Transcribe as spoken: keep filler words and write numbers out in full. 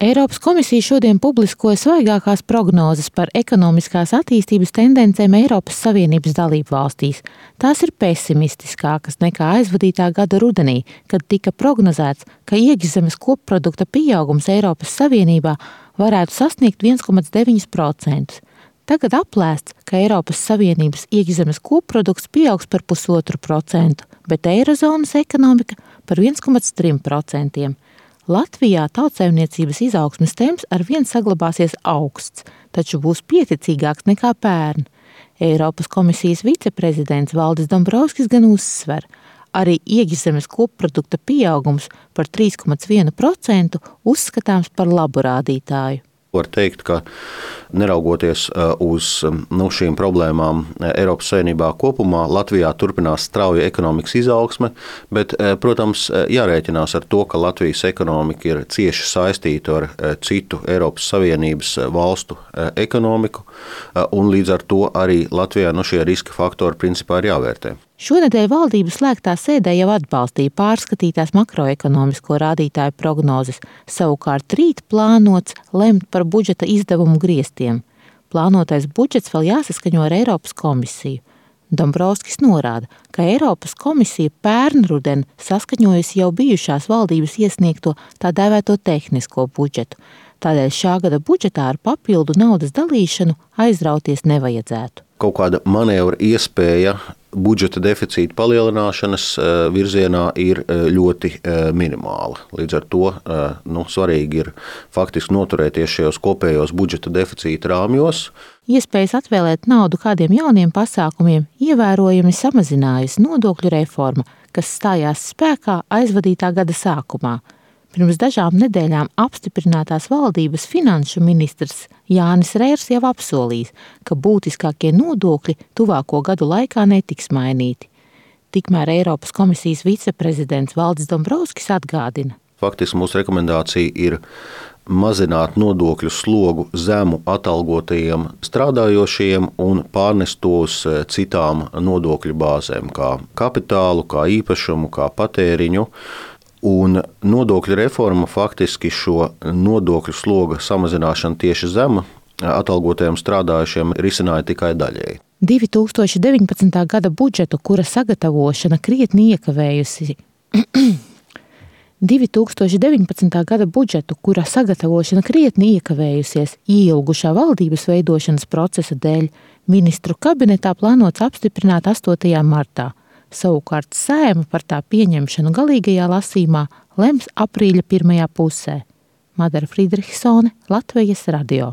Eiropas komisija šodien publiskoja svaigākās prognozes par ekonomiskās attīstības tendencēm Eiropas Savienības dalību valstīs. Tās ir pesimistiskākas nekā aizvadītā gada rudenī, kad tika prognozēts, ka iekšzemes kopprodukta pieaugums Eiropas Savienībā varētu sasniegt viens komats deviņi procenti. Tagad aplēsts, ka Eiropas Savienības iekšzemes kopprodukts pieaugs par pusotru procentu, bet Eirozonas ekonomika par viens komats trīs procenti. Latvijā tautsaimniecības izaugsmes temps arvien saglabāsies augsts, taču būs pieticīgāks nekā pērn. Eiropas komisijas viceprezidents Valdis Dombrovskis gan uzsver, arī iekšzemes kopprodukta pieaugums par trīs komats vienu procentu uzskatāms par labu rādītāju. Var teikt, ka neraugoties uz nu, šīm problēmām Eiropas Savienībā kopumā, Latvijā turpinās strauja ekonomikas izaugsme, bet, protams, jārēķinās ar to, ka Latvijas ekonomika ir cieši saistīta ar citu Eiropas Savienības valstu ekonomiku, un līdz ar to arī Latvijā nu, šie riska faktori principā ir jāvērtē. Šonedēļ valdības slēgtā sēdē jau atbalstīja pārskatītās makroekonomisko rādītāju prognozes, savukārt rīt plānots lemt par budžeta izdevumu griestiem. Plānotais budžets vēl jāsaskaņo ar Eiropas komisiju. Dombrovskis norāda, ka Eiropas komisija pērnruden saskaņojusi jau bijušās valdības iesniegto tā dēvēto tehnisko budžetu. Tādēļ šā gada budžetā ar papildu naudas dalīšanu aizrauties nevajadzētu. Kaut kāda manevra iespēja budžeta deficīta palielināšanas virzienā ir ļoti minimāla. Līdz ar to nu, svarīgi ir faktiski noturēties šajos kopējos budžeta deficīta rāmjos. Iespējas atvēlēt naudu kādiem jauniem pasākumiem ievērojami samazinājusi nodokļu reforma, kas stājās spēkā aizvadītā gada sākumā. Pirms dažām nedēļām apstiprinātās valdības finanšu ministrs Jānis Reirs jau apsolījis, ka būtiskākie nodokļi tuvāko gadu laikā netiks mainīti. Tikmēr Eiropas komisijas viceprezidents Valdis Dombrovskis atgādina. Faktiski mūsu rekomendācija ir mazināt nodokļu slogu zemu atalgotajiem strādājošajiem un pārnest to uz citām nodokļu bāzēm, kā kapitālu, kā īpašumu, kā patēriņu. Un nodokļu reforma faktiski šo nodokļu sloga samazināšanu tieši zemu atalgotajiem strādājušiem risināja tikai daļēji. divi tūkstoši deviņpadsmitā gada budžetu, kura sagatavošana krietni iekavējusi. divi tūkstoši deviņpadsmitā gada budžetu, kura sagatavošana krietni iekavējusies ieilgušā valdības veidošanas procesa dēļ, ministru kabinetā plānots apstiprināt astotajā martā. Savukārt Saeima par tā pieņemšanu galīgajā lasījumā lems aprīļa pirmajā pusē. Madara Friedrichsone, Latvijas radio.